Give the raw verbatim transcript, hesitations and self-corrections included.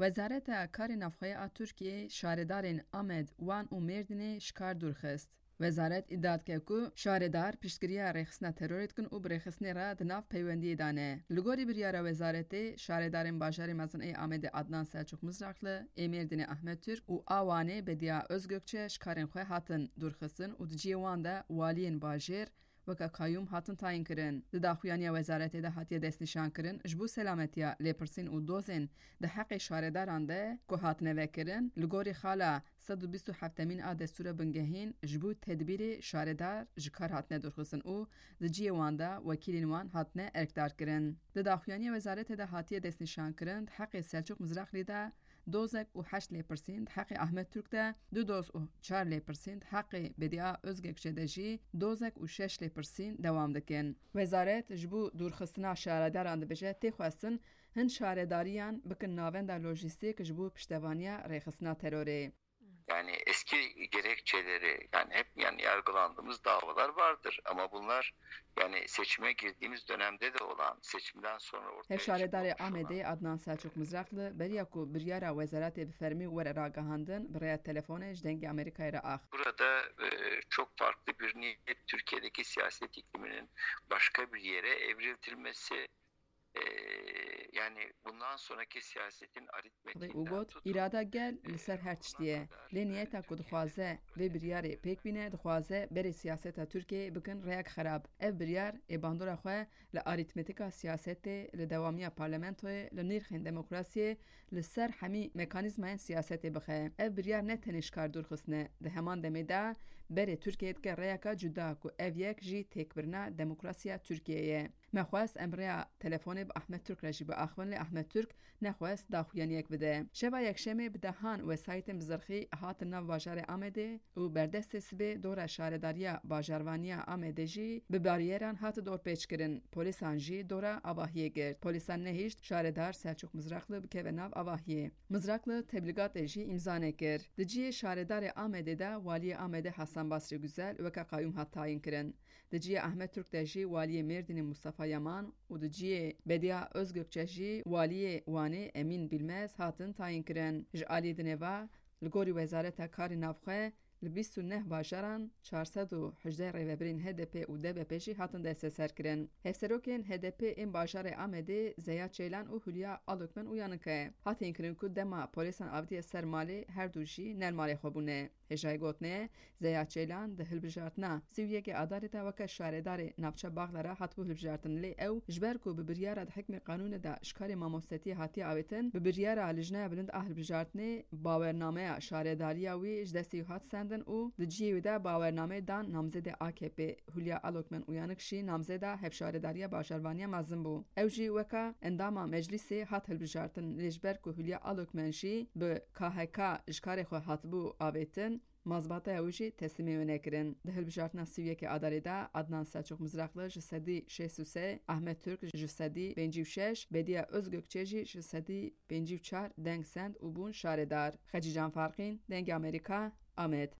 Wezareta Karê Navxwe ya Tirkiyê şaredarên Amed, Wan û Mêrdînê ji kar dûr xist. Wezaret îdia dike ku şaredar piştgiriya rêxistina terorê dikin û bi rêxistinê re di nav peywendiyê de ne. Li gorî biryara wezaretê, şaredarên bajarê mezin ê Amedê Adnan Selçuk Mizrakli, ê Mêrdînê Ahmet Türk û a Wanê Bediya Özgökçe ji karên xwe hatin dûrxistin û di cihê wan de waliyên bajêr weke qayûm hatin tayîn kirin. Di daxuyaniya wezaretê de hatiye destnîşankirin, ji bo selametiya lêpirsîn û dozên di heqê şaredaran de ku hatine vekirin, li gorî xala sed û bîst û heftemîn a destûra bingehîn ji bo tedbîrê şaredar ji kar hatine dûrxistin û di cihê wan de wekîlên wan hatine erkdarkirin. Di daxuyaniya wezaretê de hatiye destnîşankirin, di heqê Selçuk Mizraxlî de dozek û heşt lêpirsîn, di heqê Ahmet Türk de du doz û çar lêpirsîn, di heqê Bediya Özgekçe de jî dozek û şeş lêpirsîn dewam dikin. Wezaret ji bo dûrxistina şaredaran dibêje, tê xwestin hin şaredariyan bikin navenda lojîstîk ji bo piştevaniya rêxistina terorê. Yani eski gerekçeleri, yani hep yani yargılandığımız davalar vardır ama bunlar yani seçime girdiğimiz dönemde de olan, seçimden sonra ortaya Hevşaredarê çıkmamış olan Amedê Adnan Selçuk Mizrakli beriya ku biryara wezaretê bi fermî were ragihandin, bi rêya telefonê ji Dengê Amerîkayê re ax. Burada e, çok farklı bir niyet, Türkiye'deki siyaset ikliminin başka bir yere evriltilmesi, e, yani bundan sonraki siyasetin aritmetiğinden Û got, tutun, îrada gel li ser her tiştî ye. Lê niyeta ku dixwaze vê biryarê pêk bîne, dixwaze berê siyaseta Tirkiyeyê bikin rêyek xerab. Ev biryar ê bandora xwe li arîtmetika siyasetê, li dewamiya parlamentoyê, li nîrxên demokrasiyê, li ser hemî mekanîzmayên siyasetê bixe. Ev biryar ne tenê ji kar dûr xistine, di heman demê de berê Tirkiyeyê dike rêyeka cuda ku ev yek jî têkbirina demokrasiya Tirkiyeyê ye. Me xwest em rêya telefonê bi Ahmet Türk re jî biaxivin, lê Ahmet Türk nexwest daxuyaniyek bide. Şeva Yekşemê bi dehan wesayîtên bi zirxî hatin nav bajarê Amedê û berdestê sibê dora şaredariya bajarvaniya Amedê jî bi baryeran hat dorpêçkirin. Polîsan jî dora avahiyê girt. Polîsan nehişt şaredar Selçuk Mizrakli bikeve nav avahiyê. Mizrakli teblîgatê jî îmza nekir. Di cihê şaredarê Amedê de waliyê Amedê Hasan Basri Güzel weke qayûm hat tayîn kirin. Di cihê Ahmet Türk de jî waliyê Mêrdînê Mustafa Yaman û di cihê Bediya Özgökçe jî waliyê Wanê Emîn Bilmez hatin tayîn kirin. Ji alî dinê ve, li gorî Wezareta Karê Navxwe, li bîst û neh bajaran çar sed û hejdeh rêvebirên H D P û D B P jî hatin desteserkirin. Hevserokên H D P ên bajarê Amedê Zeya Çeylan û Hülya Alokmen Uyanık e. Hatîn kirin ku dema polîsan avitiye ser malê, her du jî ne li malê xwe bûne. Hêjayî gotinê, Zeya Çeylan di hilbijartina sî û yekê Adarê de weke şaredarê navça Baxdara hatibû hilbijartin, lê ew ji ber ku bi biryara di hikmê qanûnê de ji karê mamostetiyê hatiye avêtin, bi biryara Lijneya Bilind a Hilbijartinê bawernameya şaredariya wî ji destê wî hat sendin û di cihê wî de bawernameyê dan namzêdê A K P. Hülya Alokmen Uyanık jî namzêda hevşaredariya bajarvaniya mezin bû. Ew jî weka endama meclîsê hat hilbijartin, lê ji ber ku Hülya Alokmen jî bi K H K ji karê xwe hatibû avêtin, mazbataya wî jî teslîmê wê nekirin. Di hilbijartina sî û yekê Adarê de Adnan Selçuk Mizrakli ji sedî şêst û sê, Ahmet Türk ji sedî pêncî û şeş, Bediya Özgökçe jî ji sedî pêncî û çar deng send û bûn şaredar. Xecîcan Farqîn, Dengê Amerîka, Amed.